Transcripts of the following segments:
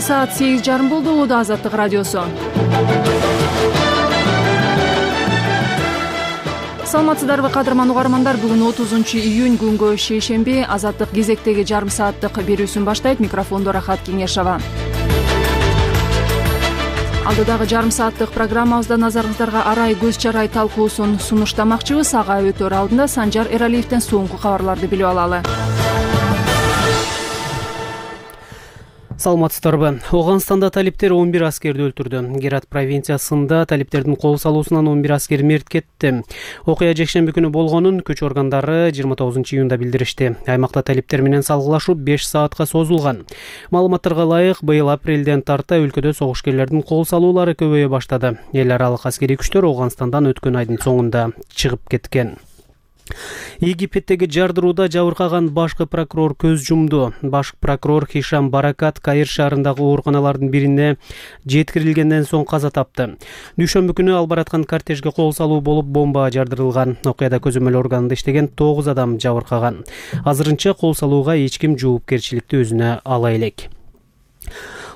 Кечээ саат 8:30 болду. Улуу Азаттык радиосу. Саламатсыздарбы кадырман угармандар, бүгүн 30-июнь күнгө шейшемби. Азаттык кезектеги жарым сааттык берүүсүн баштайт. Микрофондо Рахат Кеңешова. Алдыдагы жарым сааттык программабызда назарыңыздарга арай көз чарай талкуусун сунуштамакчыбыз. Ага өтөр алдында Санжар Эралиевден соңку кабарларды билип алалы. Саламатсыздарбы. Оганстанда талиптер 11 аскерди өлтүрдү. Герат провинциясында талиптердин кол салуусунан 11 аскер мерт кетти. Окуя жекшемби күнү болгонун күч органдары 29-июнда билдиришти. Аймакта талиптер менен салгылашуу 5 саатка созулган. Маалыматтарга ылайык, быйыл апрелден тарта өлкөдө согушкерлердин кол салуулары көбөйө баштады. Эл аралык аскерий күчтөр Оганстандан өткөн айдын соңунда чыгып кеткен. Египеттеги жардырууда жабыркаган башкы прокурор көз жумду. Башкы прокурор Хишам Баракат Каир шаарындагы ооруканалардын бирине жеткирилгенден соң каза тапты. Дүйшөмбү күнү ал бараткан кортежге кол салуу болуп бомба жардырылган. Окуяда көзөмөл органында иштеген 9 адам жабыркаган. Азырынча кол салууга эч ким жоопкерчиликти өзүнө ала элек.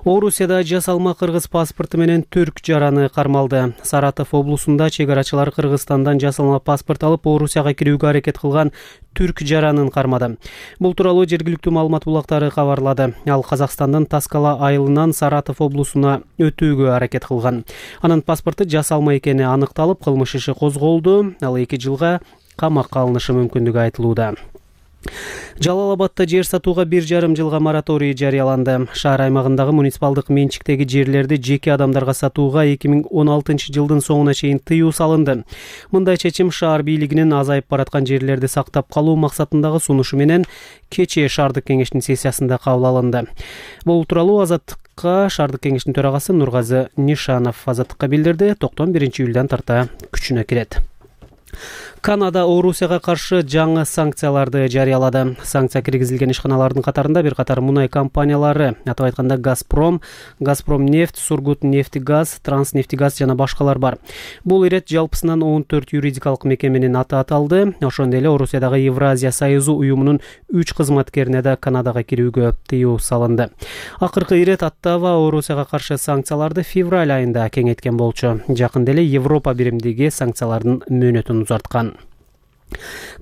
Орусияда жасалма кыргыз паспорту менен түрк жараны кармалды. Саратов облусунда чегарачылар Кыргызстандан жасалма паспорт алып Орусияга кирүүгө аракет кылган түрк жаранын кармады. Бул тууралуу жергиликтүү маалымат булактары кабарлады. Ал Казакстандын Таскала айылынан Саратов облусуна өтүүгө аракет кылган. Анын паспорту жасалма экени аныкталып, кылмыш иши козголду. Ал 2 жылга камакка алынышы мүмкүндүгү айтылууда. Жалал-Абадда жер сатууга 1,5 жылга мораторий жарыяланды. Шаар аймагындагы муниципалдык менчиктеги жерлерди жеке адамдарга сатууга 2016 жылдын соңуна чейин тыюу салынды. Мындай чечим шаар бийлигинин азайып бараткан жерлерди сактап калуу максатындагы сунушу менен кечээ шаардык кеңештин сессиясында кабыл алынды. Бул тууралуу Азаттыкка шаардык кеңештин төрагасы Нургазы Нишанов Азаттыкка билдирди. Токтом 1-июлдан тарта күчүнө кирет. Канада Орусияга каршы жаңы санкцияларды жарыялады. Санкция киргизилген ишканалардын катарында бир катар мунай компаниялары, атап айтканда Газпром, Газпромнефть, Сургутнефтегаз, Транснефтегаз жана башкалар бар. Бул ирет жалпысынан 14 юридикалык мекеменин аты аталды. Ошондой эле Орусиядагы Евразия союзу уюмунун 3 кызматкерине да Канадага кирүүгө тыюу салынды. Акыркы ирет Оттава Орусияга каршы санкцияларды февраль айында кеңейткен болчу. Жакында эле Европа биримдиги санкциялардын мөөнөтүн узарткан.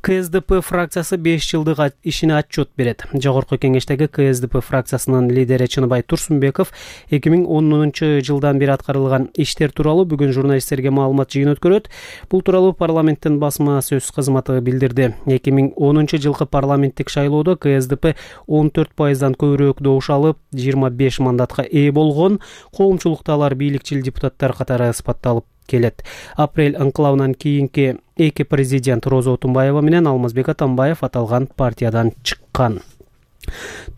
КСДП фракциясы 5 жылдык ишине отчет берет. Жогорку кеңештеги КСДП фракциясынын лидери Чыныбай Турсунбеков 2010 жылдан бери аткарылган иштер тууралуу бүгүн журналисттерге маалымат жыйын өткөрөт. Бул тууралуу парламенттин басма сөз кызматы билдирди. 2010 жылкы парламенттик шайлоодо КСДП 14%дан көбүрөөк добуш алып, 25 мандатка ээ болгон. Коомчулукта алар бийликчил депутаттар катары сыпатталып келет. Апрель ыңкылабынан кийинки эки президент Роза Отунбаева менен Алмазбек Атамбаев аталган партиядан чыккан.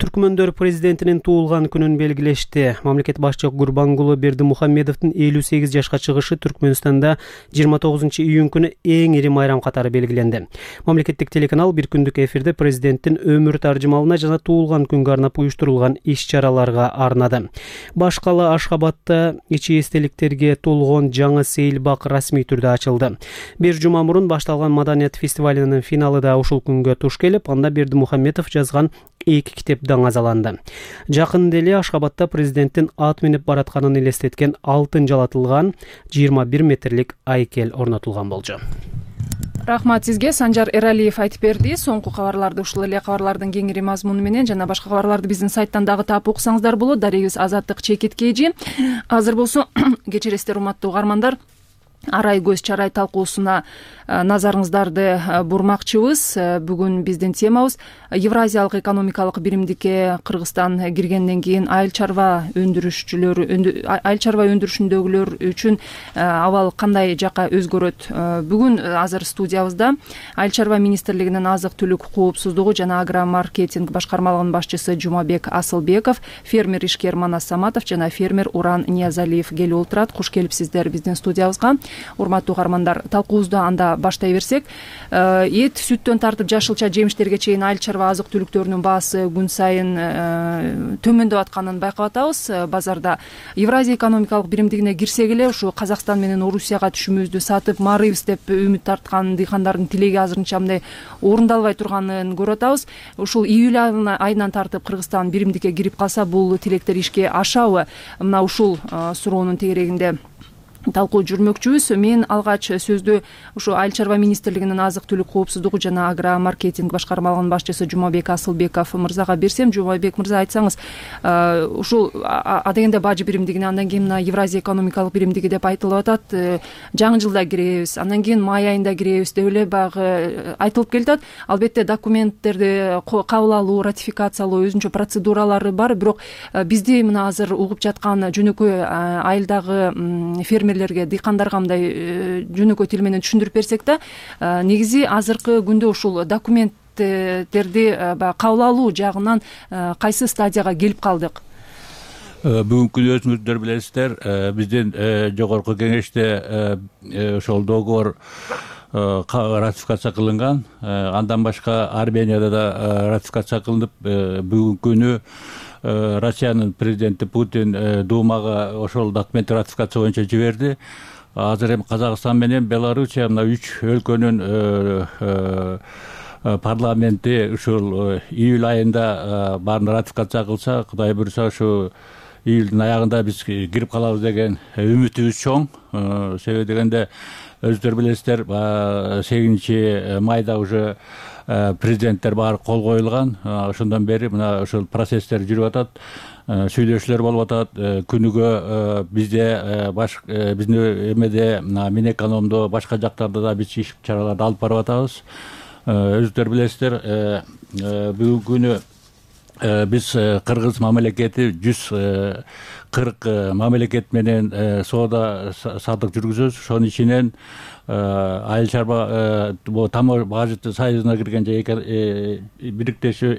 Түркмөндөр президентинин туулган күнүн белгилешти. Мамлекет башчысы Гурбангулы Бердимухамедовдун 58 жашка чыгышы Түркмөнстанда 29-июнь күнү эң ири майрам катары белгиленди. Мамлекеттик телеканал бир күндүк эфирде президенттин өмүр таржымалына жана туулган күнгө арнап уюштурулган иш-чараларга арнады. Башкала Ашхабадда ичи эстеликтерге толгон жаңы сейилбак расмий түрдө ачылды. Бир жума мурун башталган маданият фестивалынын финалы да ушул күнгө туш келип, анда Бердимухамедов жазган 2 китеп даңазаланды. Жакында эле Ашхабадда президенттин ат минип баратканын элестеткен алтын жалатылган 21 метрлик айкел орнотулган болчу. Рахмат сизге. Санжар Эралиев айтып берди. Соңку кабарларды ушул эле кабарлардын кеңири мазмуну менен жана башка кабарларды биздин сайттан дагы таап уксаңыздар болот. Дарегибиз Азаттык чекиткейжи. Азыр болсо кечиресиздер урматтуу угармандар. Арай көз чарай талкуусуна назарыңыздарды бурмакчыбыз. Бүгүн биздин темабыз Евразиялык экономикалык биримдикке Кыргызстан киргенден кийин айыл чарба өндүрүшүндөгүлөр үчүн абал кандай жака өзгөрөт. Бүгүн азыр студиябызда Айыл чарба министрлигинин азык түлүк коопсуздугу жана агромаркетинг башкармалыгынын башчысы Жумабек Асылбеков, фермер ишкер Манас Саматов жана фермер Уран Ниязалиев келип отурат. Куш келипсиздер биздин студиябызга. Урматтуу каармандар, талкуубузду анда баштай берсек, эт, сүттөн тартып жашылча жемиштерге чейин айыл чарба азык түлүктөрүнүн баасы күн сайын төмөндөп атканын байкап атабыз. Базарда Евразия экономикалык биримдигине кирсек эле ушу Казакстан менен Орусияга түшүмүбүздү сатып марыйбыз деп үмүт тарткан дыйкандардын тилеги азырынча мындай орундалбай турганын көрүп атабыз. Ушул июль айынан тартып Кыргызстан биримдикке кирип калса, бул тилектер ишке ашабы? Мына ушул суроонун тегерегинде талкуу жүрмөкчүбүз. Мен алгач сөздү ушу Айыл чарба министрлигинин азык түлүк коопсуздугу жана агро маркетинг башкармалыгынын башчысы Жумабек Асылбеков мырзага берсем, Жумабек мырза, айтсаңыз, ушул адегенде бажы биримдигине, андан кийин мына Евразия экономикалык биримдиги деп айтылып атат, жаңы жылда киребиз, андан кийин май айында киребиз деп эле баягы айтылып келатат. Албетте документтерди кабыл алуу, ратификациялоо өзүнчө процедуралары бар, бирок бизди мына азыр угуп жаткан жөнөкөй айылдагы фермер дыйкандарга мындай жөнөкөй тил менен түшүндүрүп берсек да, негизи азыркы күндө ушул документтерди кабыл алуу жагынан кайсы стадияга келип калдык? Бүгүнкү күнү өзүңүздөр билесиздер, биздин жогорку кеңеште ошол договор ратификация кылынган. Андан башка Арменияда да ратификация кылынып, бүгүнкү күнү Россиянын президенти Путин Думага ошол документти ратификация боюнча жиберди. Азыр эми Казакстан менен Белоруссия мына 3 өлкөнүн парламенти ушул июль айында баарын ратификация кылса, Кудай буйруса ушу июлдун аягында биз кирип калабыз деген үмүтүбүз чоң. Себеби дегенде өзүңүздөр билесиздер, 8 майда уже президенттер баары кол коюлган. Ошондон бери мына ушул процесстер жүрүп атат, сүйлөшүүлөр болуп атат. Күнүгө бизде биздин эмеде Минэкономдо, башка жактарда да биз иш чараларды алып барып атабыз. Өзүңүздөр билесиздер, бүгүнкү күнү биз Кыргыз мамлекети 140 мамлекет менен соода саттык жүргүзөбүз. Ошонун ичинен айыл чарба бажы союзуна кирген же бириктешүү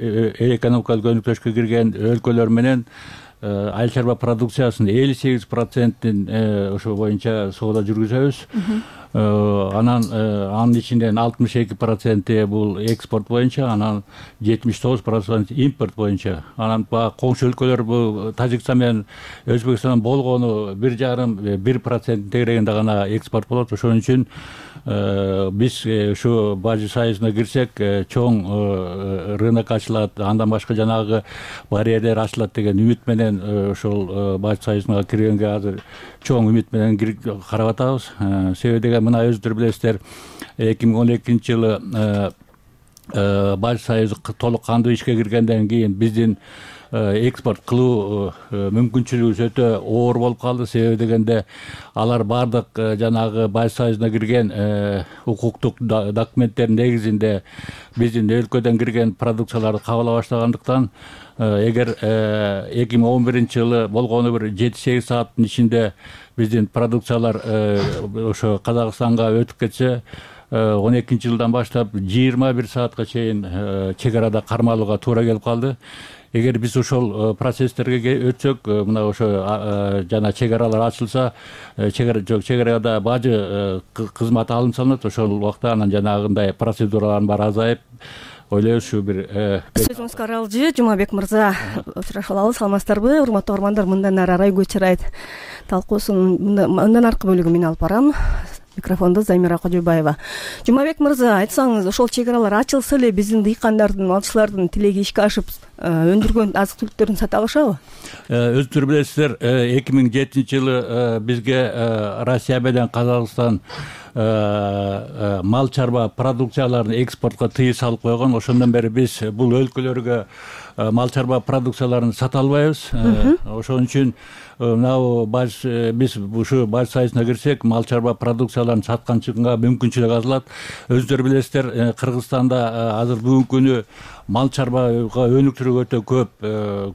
экономикалык өнүктүшкө кирген өлкөлөр менен айыл чарба продукциясынын 58%-ин ошо боюнча соода жүргүзөбүз. Анын ичинен 62% бул экспорт боюнча, анан 79% импорт боюнча. Анан коңшу өлкөлөр бул Тажикстан менен Өзбекстан болгону 1,5% тегерегинде гана экспорт болот. Ошон үчүн биз ушу бажы союзуна кирсек, чоң рынок ачылат, андан башка жанагы барьерлер ачылат деген үмүт менен ошол бажы союзуна киргенге азыр чоң үмүт менен карап атабыз. Себеби деген мына өзүңүздөр билесиздер, 2012 жылы бажы союзу толук кандуу ишке киргенден кийин биздин экспорт кылуу мүмкүнчүлүгүбүз өтө оор болуп калды. Себеби дегенде алар баардык жанагы бажы союзуна кирген укуктук документтердин негизинде биздин өлкөдөн кирген продукцияларды кабыл ала баштагандыктан, эгер 2011 жылы болгону бир 7-8 сааттын ичинде биздин продукциялар ошо Казакстанга өтүп кетсе, 12 жылдан баштап 21 саатка чейин чек арада кармалууга туура келип калды. Эгер биз ошол процесстерге өтсөк, мына ошо жана чек аралар ачылса, чек арада бажы кызматы алым салынат. Ошол убакта анан жанагындай процедуралардын баары азайып, ойлойбуз ушу бир сөзүңүз каралжы. Жумабек мырза, очрашып алабыз. Саламатсыздарбы, урматтуу угармандар? Мындан ары Арай Көчөрайт талкуусунун мындан аркы бөлүгүн мен алып барам. Микрофондо Замира Кожобаева. Жумабек мырза, айтсаңыз, ошол чек аралар ачылса эле биздин дыйкандардын, малчылардын тилеги ишке ашып, өндүргөн азык түлүктөрүн сата алышабы? Өзүңүздөр билесиздер, 2007 жылы бизге Россия менен Казакстан мал чарба продукцияларын экспортко тыюу салып койгон. Ошондон бери биз бул өлкөлөргө мал чарба продукцияларын сата албайбыз. Ошон үчүн биз ушу бажы союзуна кирсек, мал чарба продукцияларын сатканчыга мүмкүнчүлүк азалат. Өзүңүздөр билесиздер, Кыргызстанда азыр бүгүнкү күнү мал чарбага өнүктүрүүгө өтө көп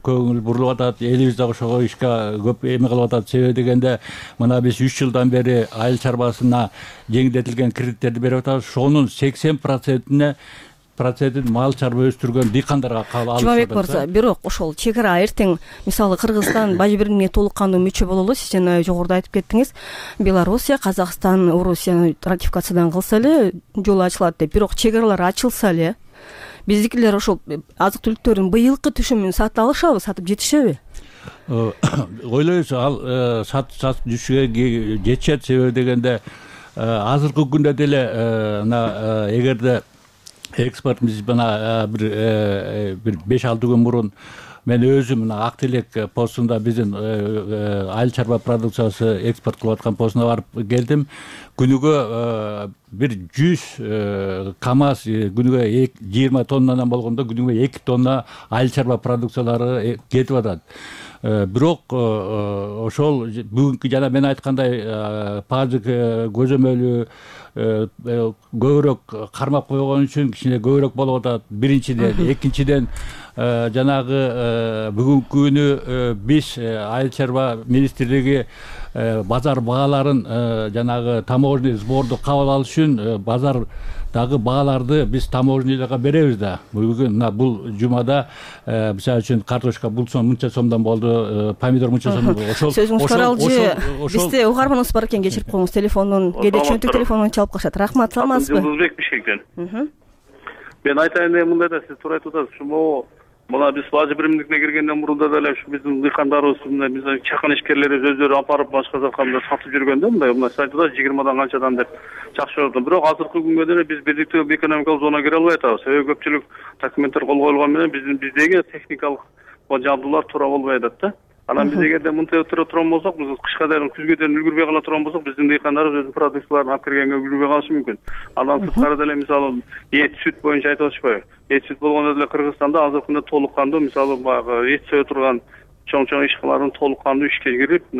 көңүл бурулуп атат. Элибиз да ошого ишке көп эме кылып атат. Себеби дегенде, мына биз 3 жылдан бери айыл чарбасына жеңилдетилген кредиттерди берип атабыз. Ошонун 80%-ине процентин мал чарба өстүргөн дыйкандарга кабыл алышат. Жумабек мырза, бирок ошол чек ара эртең мисалы Кыргызстан бажы биримине толук кандуу мүчө бололу. Сиз жана жогоруда айтып кеттиңиз, Белоруссия, Казакстан, Орусия ратификациядан кылса эле жол ачылат деп. Бирок чек аралар ачылса эле биздикилер ошол азык түлүктөрдүн быйылкы түшүмүн сата алышабы, сатып жетишеби? Ойлойбуз, ал сатып жетишүүгө жетишет. Себеби дегенде азыркы күндө деле мына эгерде экспорт биз мына бир 5-6 күн мурун мен өзүм мына Ак Телек постунда биздин айыл чарба продукциясы экспорт кылып аткан постуна барып келдим. Күнүгө бир 100 КАМАЗ күнүгө 20 тоннадан болгондо күнүгө 2 тонна айыл чарба продукциялары кетип атат. Бирок ошол бүгүнкү жана мен айткандай пазык көзөмөлү көбүрөөк кармап койгон үчүн кичине көбүрөөк болуп атат. Биринчиден, экинчиден жанагы бүгүнкү күнү биз айыл чарба министрлиги базар бааларын жанагы таможенный сборду кабыл алыш үчүн базардагы бааларды биз таможенныйларга беребиз да. Бүгүн мына бул жумада мисалы үчүн картошка бул сом мынча сомдон болду, помидор мынча сомдон болду. Ошол сөзүңүз каралжы. Бизде угарманыбыз бар экен, кечирип коюңуз, телефондон кээде чөнтүк телефондон чалып калышат. Рахмат, саламатсызбы? Жылдызбек Бишкектен. Мен айтайын деген мындай да, сиз туура айтып атасыз. Ушул мына биз бажы биримдигине киргенден мурун да эле ушу биздин дыйкандарыбыз, биздин чакан ишкерлерибиз өздөрү апарып башка жака сатып жүргөндө мындай сиз айтып атасыз 20дан канчадан деп жакшы болду. Бирок азыркы күнгө деле биз бирдиктүү экономикалык зонага кире албай атабыз. Себеби көпчүлүк документтер кол коюлган менен биздеги техникалык жабдуулар туура болбой атат да. Анан биз эгерде мынтип өтүрө турган болсок, биз кышка дейин, күзгө дейин үлгүрбөй кала турган болсок, биздин дыйкандарыбыз өзүнүн продукцияларын алып киргенге үлгүрбөй калышы мүмкүн. Андан сырткары деле мисалы эт, сүт боюнча айтып атышпайбы? Эт, сүт болгондо деле Кыргызстанда азыркы күндө толук кандуу, мисалы баягы эт сое турган чоң ишкалардын толук кандуу ишке кирип,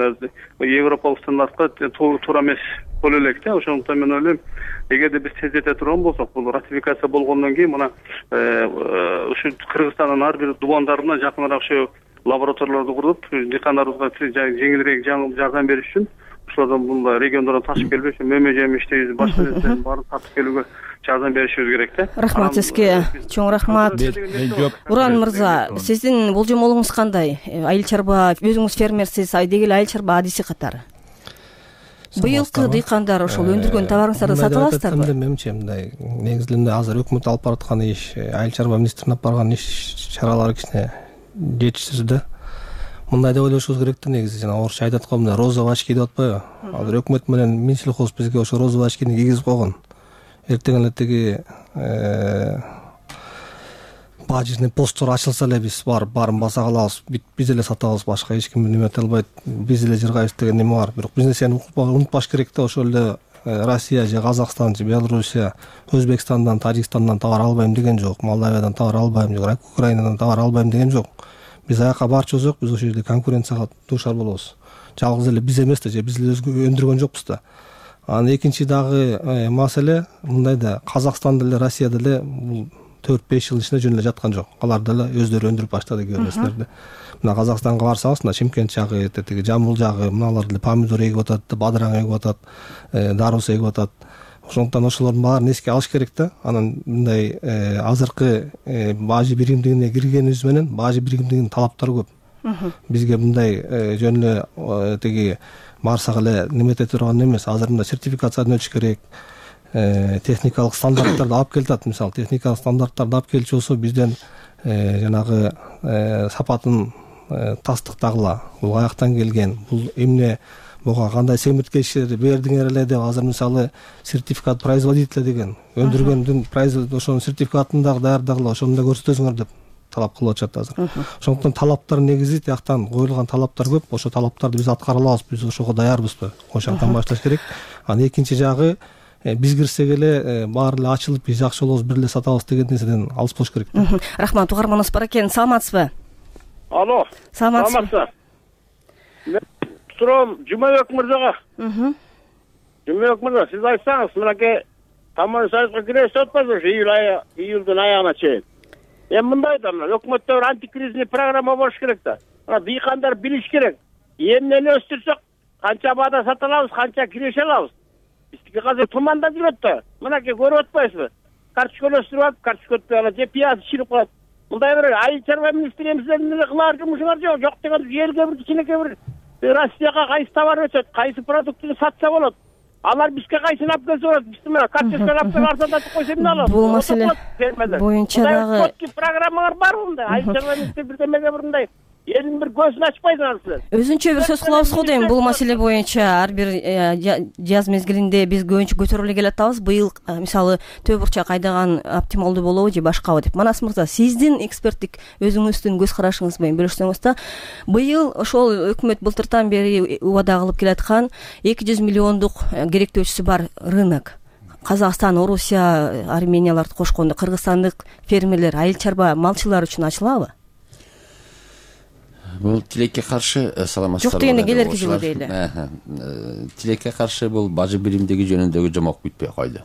европалык стандартка туура эмес боло элек да. Ошондуктан мен ойлойм, эгерде биз тездете турган болсок, бул ратификация болгондон кийин мына ушу Кыргызстандын ар бир дубандарына жакыныраак ошо лабораторияларды куруп, дыйкандарыбызга жеңилирээк жардам бериш үчүн ошолордон мындай региондордон ташып келбей, мөмө жемиштей башка нерселердин баарын тартып келүүгө жардам беришибиз керек да. Рахмат сизге, чоң рахмат. Уран мырза, сиздин болжомолуңуз кандай? Айыл чарба, өзүңүз фермерсиз, деги эле айыл чарба адиси катары. Быйылкы дыйкандар ошол өндүргөн товарыңыздарды сатып аласыздарбы? Менимче мындай негизинде эле азыр өкмөт алып бараткан иш, айыл чарба министринин алып барган иш чаралары кичине жетишсиз да. Мындай деп ойлошубуз керек да, негизи жана орусча айтат го, мына розовый очки деп атпайбы? Азыр өкмөт менен Минсельхоз бизге ошо розовый очкини кийгизип койгон. Эртең эле тиги бажный посттор ачылса эле биз баарын баса калабыз, биз эле сатабыз, башка эч ким неме эте албайт, биз эле жыргайбыз деген неме бар. Бирок биз нерсени унутпаш керек да, ошол эле Россия же Казакстан же Белоруссия Өзбекстандан, Тажикстандан товар албайм деген жок, Молдавиядан товар албайм же Украинадан товар албайм деген жок. Биз аяка барчу болсок, биз ошол жерде конкуренцияга дуушар болобуз. Жалгыз эле биз эмес да, же биз эле өндүргөн жокпуз да. Анан экинчи дагы маселе мындай да, Казакстан деле, Россия деле бул 4-5 жыл ичинде жөн эле жаткан жок. Алар деле өздөрү өндүрүп баштады кээ нерселерди. Мына Казакстанга барсаңыз, мына Чимкент жагы, тиги Жамбыл жагы, мыналар деле помидор эгип атат, бадыраң эгип атат, дарус эгип атат. Ошондуктан ошолордун баарын эске алыш керек да. Анан мындай азыркы бажы биримдигине киргенибиз менен бажы биримдигинин талаптары көп. Бизге мындай жөн эле тиги барсак эле немете турган эмес. Азыр мындай сертификациядан өтүш керек. Техникалык стандарттарды алып келатат. Мисалы техникалык стандарттарды алып келчү болсо, бизден жанагы сапатын тастыктагыла, бул каяктан келген, бул эмне буга кандай семирткечтер бердиңер эле деп азыр мисалы сертификат производителя деген өндүргөндүн ошонун сертификатын дагы даярдагыла, ошону да көрсөтөсүңөр деп талап кылып атышат азыр. Ошондуктан талаптар негизи тияктан коюлган талаптар көп. Ошо талаптарды биз аткара алабыз, биз ошого даярбызбы? Ошондон башташ керек. Анан экинчи жагы, биз кирсек эле баары эле ачылып, биз жакшы болобуз, бир эле сатабыз деген нерседен алыс болуш керек. Рахмат, угарманыбыз бар экен. Саламатсызбы? Алло. Саламатсызбы? Сурам Жумабек мырзага. Жумабек мырза, сиз айтсаңыз, мынакей Таможенный союзга киресиз атпайбы, июлдун аягына чейин. Мындай да, өкмөттө бир антикризисный программа болуш керек да. Дыйкандар билиш керек. Эмнени өстүрсөк, канча баада сата алабыз, канча киреше алабыз. Биздики азыр тумандап жүрөт да. Мынакей көрүп атпайсызбы? карточканы өстүрүп алып карточка алат же пияз чирип коет. Мындай бир айыл чарба министрлигибизден кылаар жумушуңар жок деген элге бир кичинекей бир Россияга кайсы товар өтөт, кайсы продуктты сатса болот. Алар бизге кайсын алып келсе болот. Биз мына карточканы алып келип арзандатып койсо эмне алат? Бул маселе боюнча дагы программалар бар мындай. Айыл чарба министрлиги бирдемеге бир мындай элдин бир көзүн ачпайсың алсыз. Өзүнчө бир сөз кылабыз го дейм. Бул маселе боюнча ар бир жаз мезгилинде биз көбүнчө көтөрүлө келатабыз. Быйыл мисалы төө бурчак айдаган оптималдуу болобу же башкабы деп. Манас мырза, сиздин эксперттик өзүңүздүн көз карашыңыз менен бөлүшсөңүз да, быйыл ошол өкмөт былтыртан бери убада кылып келаткан 200 миллиондук керектөөчүсү бар рынок. Казакстан, Орусия, Арменияларды кошкондо кыргызстандык фермерлер, айыл чарба малчылар үчүн ачылабы? Бул тилекке каршы саламатсыздар. Жок дегенде келерки жылы дейли. Тилекке каршы бул бажы биримдиги жөнүндөгү жомок бүтпөй койду.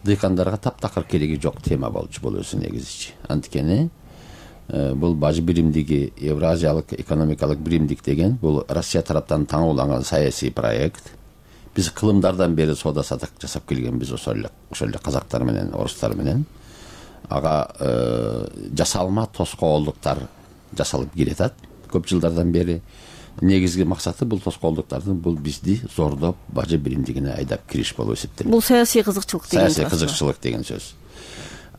Дыйкандарга таптакыр кереги жок тема болчу бул өзү негизичи. Анткени бул бажы биримдиги Евразиялык экономикалык биримдик деген бул Россия тараптан таңууланган саясий проект. Биз кылымдардан бери соода сатык жасап келгенбиз ошол эле казактар менен, орустар менен. Ага жасалма тоскоолдуктар жасалып келатат көп жылдардан бери. Негизги максаты бул тоскоолдуктардын бул бизди зордоп бажы биримдигине айдап кириш болуп эсептелет. Бул саясий кызыкчылык деген. Саясий кызыкчылык деген сөз.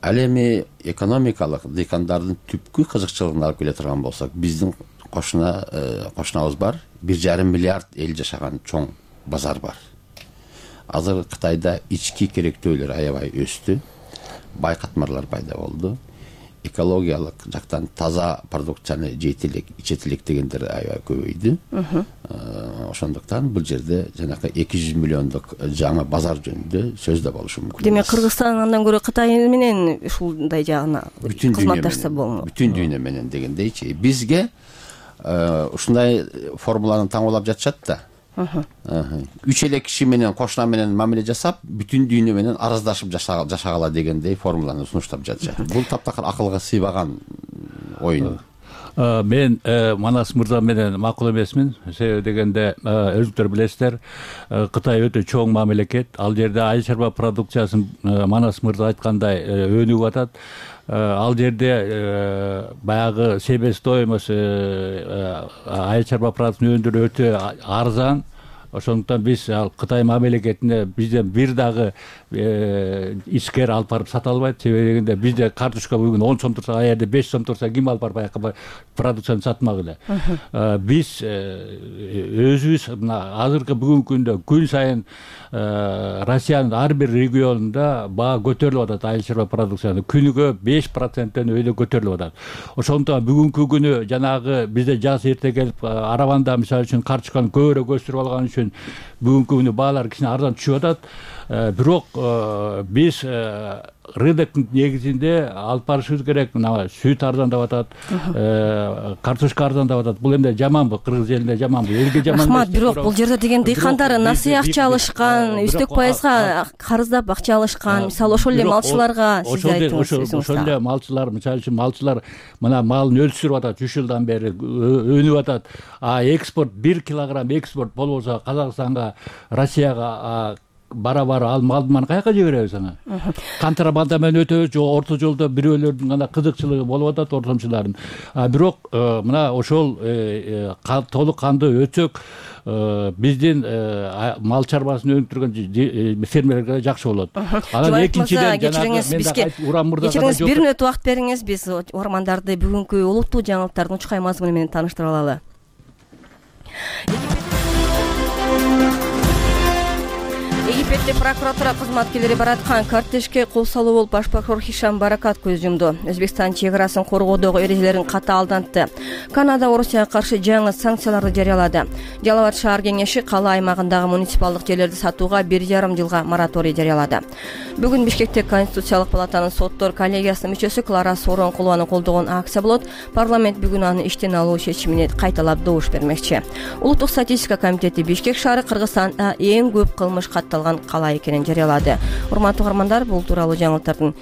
Ал эми экономикалык дыйкандардын түпкү кызыкчылыгын алып келе турган болсок, биздин кошунабыз бар, 1,5 миллиард эл жашаган чоң базар бар. Азыр Кытайда ички керектөөлөр аябай өстү, байкатмарлар пайда болду. Экологиялык жактан таза продукцияны жейтелек, ичетелек дегендер аябай көбөйдү. Ошондуктан бул жерде жанакы 200 миллиондук жаңы базар жөнүндө сөз да болушу мүмкүн. Демек Кыргызстан андан көрө Кытай менен ушундай жагына кызматташса болмок. Бүтүн дүйнө менен дегендейчи. Бизге ушундай формуланы таңуулап жатышат да. 3 эле киши менен кошуна менен мамиле жасап, бүтүн дүйнө менен араздашып жашагала дегендей формуланы сунуштап жатышат. Бул таптакыр акылга сыйбаган оюн. Мен Манас мырза менен макул эмесмин. Себеби дегенде өзүңүздөр билесиздер, Кытай өтө чоң мамлекет. Ал жерде айыл чарба продукциясын Манас мырза айткандай өнүгүп атат. Ал жерде баягы себестоимость айыл чарба продуктун өндүрүү өтө арзан. Ошондуктан биз ал Кытай мамлекетине бизден бир дагы ичкер алып барып сата албайт. Себеби дегенде бизде карточка бүгүн 10 сом турса, а жерде 5 сом турса ким алып барып баягы продукцияны сатмак эле. Биз өзүбүз мына азыркы бүгүнкү күндө күн сайын Россиянын ар бир регионунда баа көтөрүлүп атат айыл чарба продукцияны. Күнүгө 5%-тен өйдө көтөрүлүп атат. Ошондуктан бүгүнкү күнү жанагы бизде жаз эрте келип араванда мисалы үчүн карточканы көбүрөөк өстүрүп алган үчүн бүгүнкү күнү баалар кичине арзан түшүп атат. Бирок биз рыноктун негизинде алып барышыбыз керек. Мына сүт арзандап атат, картошка арзандап атат. Бул эмне жаманбы? Кыргыз элине жаманбы? Элге жаман. Рахмат. Бирок бул жерде деген дыйкандар насый акча алышкан, үстөк пайызга карыздап акча алышкан. Мисалы ошол эле малчыларга сиз айттыңыз. Ошол эле малчылар, мисалы үчүн малчылар мына малын өлчүрүп атат, 3 жылдан бери өнүп атат. Экспорт 1 килограмм экспорт болбосо Казакстанга, Россияга бара-бара ал малды каяка жиберебиз аны? Контрабанда менен өтөбүз, же орто жолдо бирөөлөрдүн гана кызыкчылыгы болуп атат, ортомчулардын. Бирок мына ошол толук кандуу өтсөк, биздин мал чарбасын өнүктүргөн фермерлерге жакшы болот. Анан экинчиден кечириңиз, 1 мүнөт убакыт бериңиз, биз угармандарды бүгүнкү улуттуу жаңылыктардын учкай мазмуну менен тааныштыра алалы. Египетте прокуратура кызматкерлери бараткан кортежге кол салуу болуп баш прокурор Хишам Баракат көз жумду. Өзбекстан чек арасын коргоодогу эрежелерин катаалдантты. Канада Орусияга каршы жаңы санкцияларды жарыялады. Жалал Абад шаар кеңеши кала аймагындагы муниципалдык жерлерди сатууга 1,5 жылга мораторий жарыялады. Бүгүн Бишкекте Конституциялык палатанын соттор коллегиясынын мүчөсү Клара Сооронкулованын колдогон акция болот. Парламент бүгүн аны иштен алуу чечимине кайталап добуш бермекчи. Улуттук статистика комитети Бишкек шаары Кыргызстанда эң көп кылмыш катталган кала экенин жарыялады. Урматтуу угармандар, бул тууралуу жаңылыктардын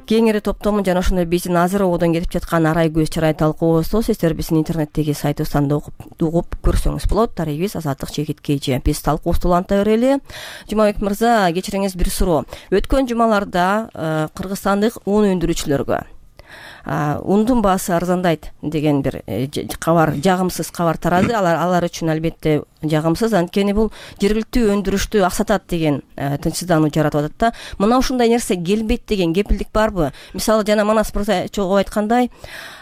кеңири топтомун жана ошондой биздин азыр ободон кетип жаткан арай көз чырай талкуубузду сиздер биздин интернеттеги сайтыбыздан да угуп көрсөңүз болот. Дарегибиз Азаттык чекит KG. Биз талкуубузду уланта берели. Жумабек мырза, кечириңиз бир суроо. Өткөн жумаларда кыргызстандык ун өндүрүүчүлөргө ундун баасы арзандайт деген бир кабар, жагымсыз кабар тарады. Алар үчүн албетте жагымсыз, анткени бул жергиликтүү өндүрүштү аксатат деген тынчсыздануу жаратып атат да. Мына ушундай нерсе келбейт деген кепилдик барбы? Мисалы жана Манас мырза чогуу айткандай,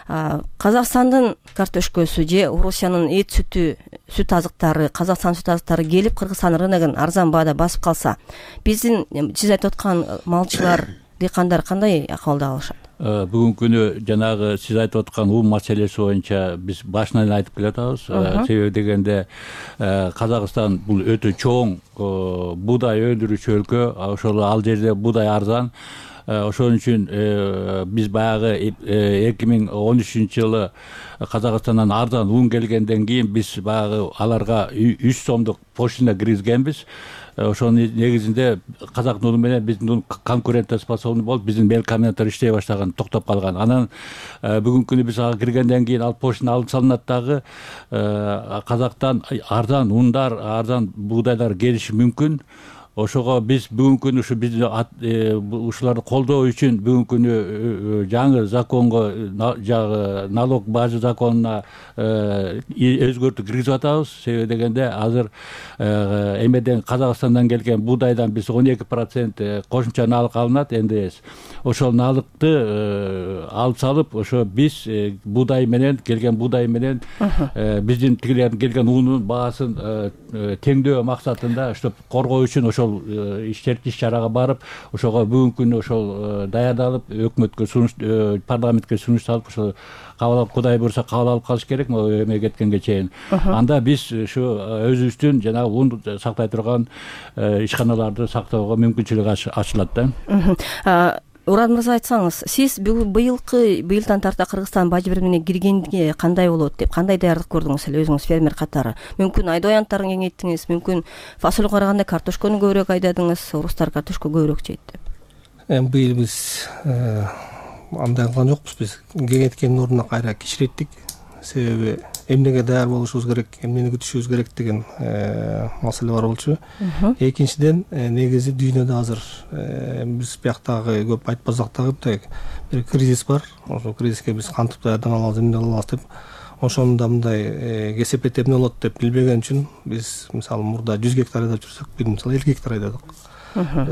Казакстандын картошкөсү же Орусиянын эт сүтү, сүт азыктары, Казакстан сүт азыктары келип Кыргызстан рыногун арзан баада басып калса, биздин сиз айтып аткан малчылар, дыйкандар кандай акыбалда калышат? Бүгүнкү күнү жанагы сиз айтып аткан ун маселеси боюнча биз башынан айтып келатабыз. Себеби дегенде Казакстан бул өтө чоң буудай өндүрүүчү өлкө. Ошол ал жерде буудай арзан. Ошон үчүн биз баягы 2013 жылы Казакстандан арзан ун келгенден кийин биз баягы аларга 3 сомдук пошлина киргизгенбиз. Ошонун негизинде казактын уну менен биздин ун конкурентоспособный болуп, биздин мелкомбинаттар иштей баштаган, токтоп калган. Анан бүгүнкү күнү биз ага киргенден кийин ал пошлина алып салынат дагы. Казактан арзан ундар, арзан буудайлар келиши мүмкүн. Ошого биз бүгүнкү күнү ушу биздин ушуларды колдоо үчүн бүгүнкү күнү жаңы законго, налог база законуна өзгөртүү киргизип атабыз. Себеби дегенде азыр эмеден Казакстандан келген буудайдан биз 12% кошумча налык алынат, НДС. Ошол налыкты алып салып, ошо биз буудай менен келген буудай менен биздин тигилердин келген унун баасын теңдөө максатында ошо коргоо үчүн ошол иш чарага барып, ошого бүгүнкү күнү ошол даярдалып, өкмөткө сунуш, парламентке сунуш салып, ошо кабыл алып, Кудай буйруса кабыл алып калыш керек эме кеткенге чейин. Анда биз ушу өзүбүздүн жанагы ун сактай турган ишканаларды сактоого мүмкүнчүлүк ачылат да. Урат мырза, айтсаңыз, сиз быйылдан тарта Кыргызстан бажы биримине киргенге кандай болот деп, кандай даярдык көрдүңүз эле өзүңүз фермер катары? Мүмкүн айдоо аянттарын кеңейттиңиз, мүмкүн фасолго караганда картошкону көбүрөөк айдадыңыз, орустар картошка көбүрөөк жейт деп. Быйыл биз андай кылган жокпуз, биз кеңейткендин ордуна кайра кичиреттик. Себеби эмнеге даяр болушубуз керек, эмнени күтүшүбүз керек деген маселе бар болчу. Экинчиден, негизи дүйнөдө азыр биз бияктагы көп айтпасак дагы бир кризис бар. Ошол кризиске биз кантип даярдана алабыз, эмне кыла алабыз деп, ошондо мындай кесепет эмне болот деп билбеген үчүн биз мисалы мурда 100 гектар айдап жүрсөк, бир мисалы 50 гектар айдадык.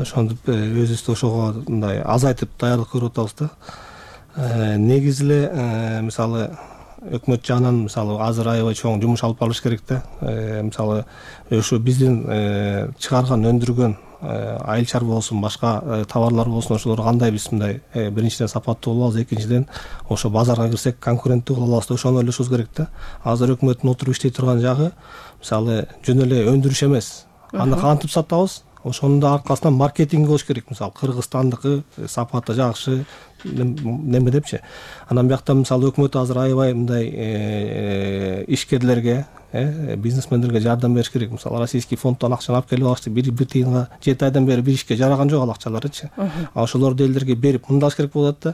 Ошондуп өзүбүздү ошого мындай азайтып даярдык көрүп атабыз да. Негизи эле мисалы өкмөт жагынан мисалы азыр аябай чоң жумуш алып барылыш керек да. Мисалы ошо биздин чыгарган, өндүргөн айыл чарба болсун, башка товарлар болсун, ошолор кандай биз мындай биринчиден сапаттуу боло алабыз, экинчиден ошо базарга кирсек конкуренттүү кыла алабыз да, ошону ойлошубуз керек да. Азыр өкмөттүн отуруп иштей турган жагы мисалы жөн эле өндүрүш эмес. Аны кантип сатабыз? Ошонун да аркасынан маркетинг болуш керек. Мисалы Кыргызстандыкы сапаты жакшы неме депчи. Анан биякта мисалы өкмөт азыр аябай мындай ишкерлерге, бизнесмендерге жардам бериш керек. Мисалы российский фонддон акчаны алып келип алышты. Бир тыйынга 7 айдан бери бир ишке жараган жок ал акчаларычы. Ошолорду элдерге берип мындаш керек болот да.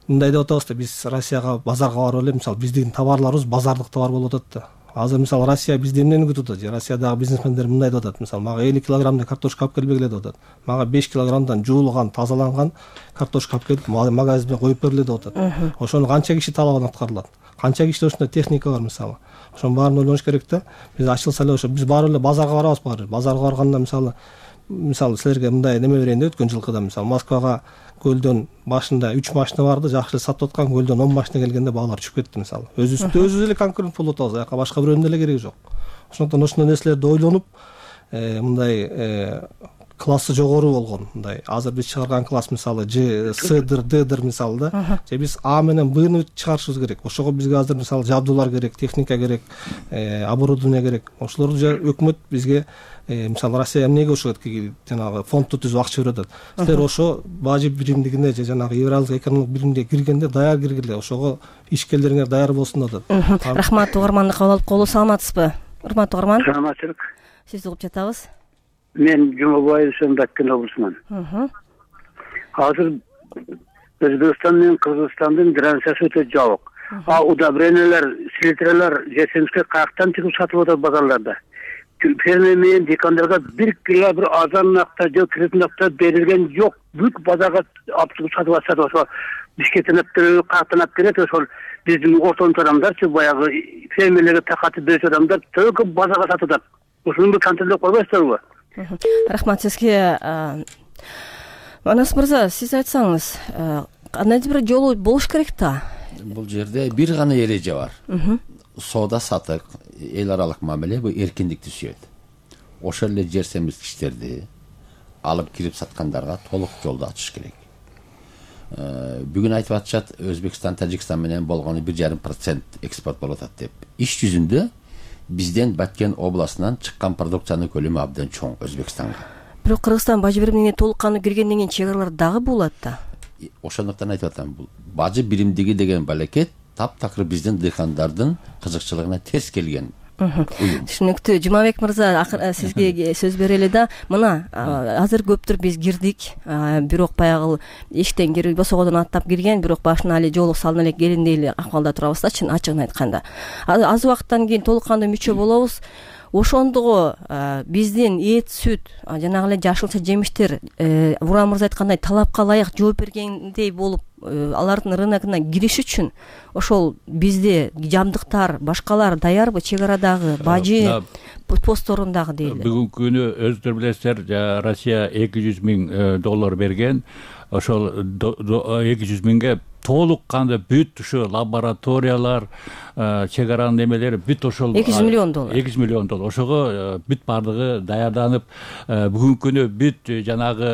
Мындай деп атабыз да, биз Россияга базарга барып эле, мисалы биздин товарларыбыз базардык товар болуп атат да. Азыр мисалы Россия бизди эмнени күтүп атат? Россиядагы бизнесмендер мындай деп атат. Мисалы мага 50 килограммдай картошка алып келбегиле деп атат. Мага 5 килограммдан жуулган, тазаланган картошка алып келип магазинде коюп бергиле деп атат. Ошону канча киши талабын аткарылат? Канча кишиде ушундай техника бар мисалы? Ошонун баарын ойлонуш керек да. Биз ачылса эле ошо биз баары эле базарга барабыз баары. Базарга барганда мисалы силерге мындай неме берейин да, өткөн жылкыда мисалы Москвага көлдөн башында 3 машина барды, жакшы сатып аткан, көлдөн 10 машина келгенде баалар түшүп кетти мисалы. Өзүбүз эле конкурент болуп атабыз, аяка башка бирөөнүн деле кереги жок. Ошондон ошондой нерселерди ойлонуп, мындай классы жогору болгон, мындай азыр биз чыгарган класс мисалы Ж, С-дыр, Д-дыр мисалы да. Же биз А менен Б-ны чыгарышыбыз керек. Ошого бизге азыр мисалы жабдуулар керек, техника керек, оборудование керек. Ошолорду өкмөт бизге мисалы Россия эмнеге ошо жанагы фондду түзүп акча берип атат. Силер ошо бажы биримдигине же жанагы Евразиялык экономикалык биримге киргенде даяр киргиле, ошого ишкерлериңер даяр болсун деп атат. Рахмат, угарманды кабыл алып калуу. Саламатсызбы? Урматтуу угарман. Саламатсызбы. Сизди угуп жатабыз. Мен Жумабаев Аккен облусунан. Азыр Өзбекстан менен Кыргызстандын границасы өтө жабык. Удобрениялар, селитралар жесемске каяктан чыгып сатылып атат базарларда. Фермер менен дыйкандарга бир азан акта же киретін акта берилген жок. Бүт базарга алып чыгып сатып атышат. Ошо Бишкектен каяктан алып келет, ошол биздин ортомчу адамдарчы баягы фермерлерге такатып берүүчү адамдар только базарга сатып атат. Ошону контролдоп койбойсуздарбы? Рахмат сизге. Манас мырза, сиз айтсаңыз, кандайдыр бир жолу болуш керек да? Бул жерде бир гана эреже бар. Соода сатык, эл аралык мамиле бул эркиндикти сүйөт. Ошол эле жер семирткичтерди алып кирип саткандарга толук жолду ачыш керек. Бүгүн айтып атышат, Өзбекстан, Тажикстан менен болгону 1,5% экспорт болуп атат деп. Иш жүзүндө бизден Баткен областынан чыккан продукциянын көлөмү абдан чоң Өзбекстанга. Бирок Кыргызстан бажы биримине толук кандуу киргенден кийин чек аралар дагы болот да. Ошондуктан айтып атам, бул бажы биримдиги деген балекет таптакыр биздин дыйкандардын кызыкчылыгына терс келген. Түшүнүктүү. Жумабек мырза, сизге сөз берели да. Мына азыр көптүр биз кирдик, бирок баягы эштен кирип босогодон аттап кирген, бирок башына эле жолук салына элек келиндей эле акыбалда турабыз да, ачыгын айтканда. Аз убакыттан кийин толук кандуу мүчө болобуз. Ошондугу биздин эт, сүт, жанагы эле жашылча жемиштер Буран мырза айткандай талапка ылайык жооп бергендей болуп, алардын рыногуна кириш үчүн ошол бизде жабдыктар, башкалар даярбы? Чек арадагы бажы постторундагы дейли. Бүгүнкү күнү өздөрү билесиздер, Россия $200,000 берген. Ошол 200,000ге толук кандуу бүт ушу лабораториялар, чек аранын эмелери бүт ошол $200 миллион. $200 миллион. Ошого бүт бардыгы даярданып, бүгүнкү күнү бүт жанагы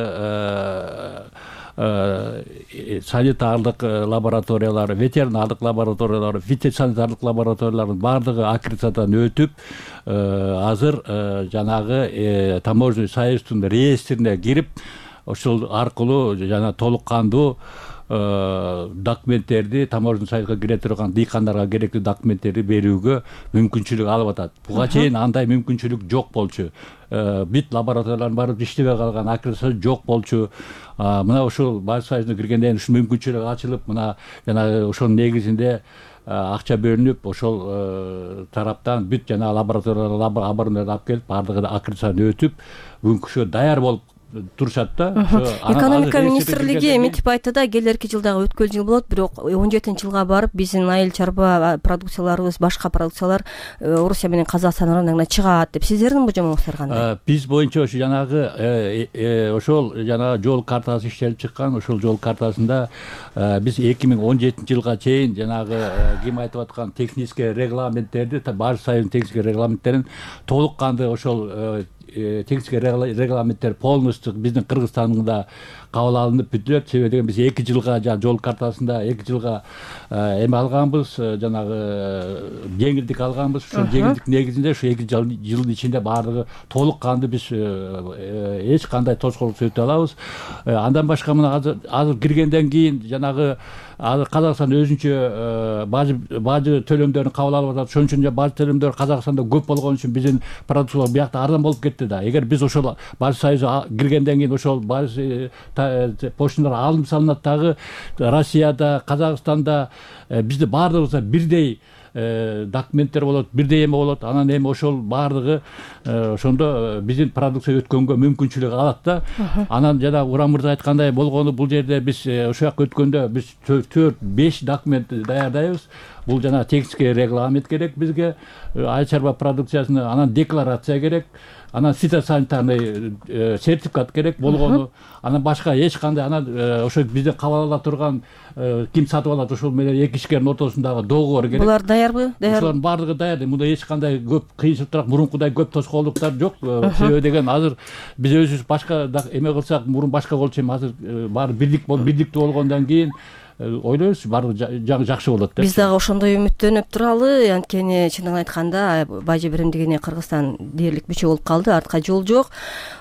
санитарлык лабораториялар, ветеринардык лабораториялар, фитосанитарлык лабораториялардын бардыгы аккредитациядан өтүп, азыр жанагы таможенный союздун реестрине кирип, ошол аркылуу жана толук кандуу документтерди, таможенный союзга кире турган дыйкандарга керектүү документтерди берүүгө мүмкүнчүлүк алып атат. Буга чейин андай мүмкүнчүлүк жок болчу. Бүт лабораториялардын барып иштебей калган, аккредитация жок болчу. Мына ошол бажы союзуна киргенден кийин ушул мүмкүнчүлүк ачылып, мына жана ошонун негизинде акча бөлүнүп, ошол тараптан бүт жана лабораториялар абырындарды алып келип, бардыгы аккредитациядан өтүп, бүгүнкү даяр болуп турушат да. Экономика министрлиги эмитип айтты да, келерки жылдагы өткөл жыл болот, бирок 17-жылга барып биздин айыл чарба продукцияларыбыз, башка продукциялар Орусия менен Казакстан рыногуна чыгат деп. Сиздердин божомоңуздар кандай? Биз боюнча ошо жанагы ошол жанагы жол картасы иштелип чыккан, ошол жол картасында биз 2017-жылга чейин жанагы ким айтып аткан технический регламенттерди, бажы союзунун технический регламенттерин толук кандуу ошол технический регламенттер полностью биздин Кыргызстанда кабыл алынып бүтүлөт. Себеби деген биз 2 жылга жол картасында 2 жылга эме алганбыз, жанагы жеңилдик алганбыз. Ошол жеңилдик негизинде ушу 2 жылдын ичинде баардыгы толук кандуу биз эч кандай тоскоолдук өтө алабыз. Андан башка мына азыр киргенден кийин жанагы Казакстан өзүнчө бажы төлөмдөрүн кабыл алып атат. Ошон үчүн бажы төлөмдөрү Казакстанда көп болгон үчүн биздин продукциялар биякта арзан болуп кетти да. Эгер биз ошол бажы союзуна киргенден кийин ошол бажы пошталар алынып салынат дагы, Россияда, Казакстанда бизде баардыгыбызда бирдей документтер болот, бирдей эме болот. Анан эми ошол баардыгы ошондо биздин продукция өткөнгө мүмкүнчүлүк алат да. Анан жана Уран мырза айткандай болгону, бул жерде биз ошол жака өткөндө биз 4-5 документ даярдайбыз. Бул жана технический регламент керек бизге, айыл чарба продукциясына, анан декларация керек, анан фитосанитарный сертификат керек болгону, анан башка эч кандай, анан ошо бизден кабыл ала турган ким сатып алат, ошол менен эки ишкердин ортосундагы договор керек. Булар даярбы? Ошолордун баардыгы даяр. Мында эч кандай көп кыйынчылыктар, мурункудай көп тоскоолдуктар жок. Себеби деген азыр биз өзүбүз башка эме кылсак, мурун башка болчу, эми азыр баары биrdиктүү болгондон кийин ойлойбуз баары жакшы болот деп. Биз дагы ошондой үмүттөнүп туралы. Анткени чынын айтканда бажы биримдигине Кыргызстан дээрлик бүчө болуп калды, артка жол жок.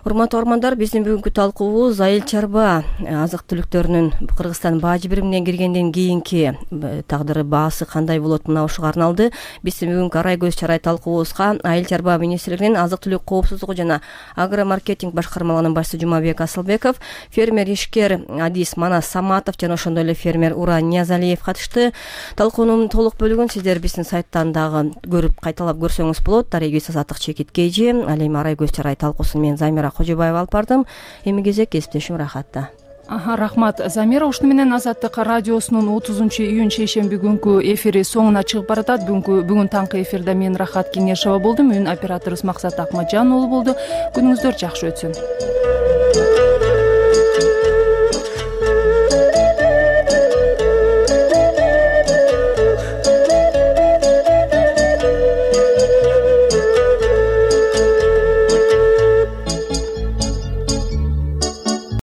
Урматтуу угармандар, биздин бүгүнкү талкуубуз айыл чарба азык түлүктөрүнүн Кыргызстан бажы биримине киргенден кийинки тагдыры, баасы кандай болот, мына ушуга арналды. Биздин бүгүнкү арай көз чарай талкуубузга Айыл чарба министрлигинин азык түлүк коопсуздугу жана агромаркетинг башкармалыгынын башчысы Жумабек Асылбеков, фермер ишкер Адис Манас Саматов жана ошондой эле фермер Уран Ниязалиев катышты. Талкуунун толук бөлүгүн сиздер биздин сайттан дагы көрүп кайталап көрсөңүз болот. Дарегиз Азаттык Чекиткейжи, ал эми арай көз чарай талкуусун мен Замира Кожобаева алып бардым. Эми кезек кесиптешим Рахатта. Рахмат Замира. Ушуну менен Азаттык радиосунун 30-июнь шейшемби күнгү эфири соңуна чыгып баратат. Бүгүн таңкы эфирде мен Рахат Кеңешова болдум. Үн операторубуз Максат Акмаджан болду. Күнүңүздөр жакшы өтсүн.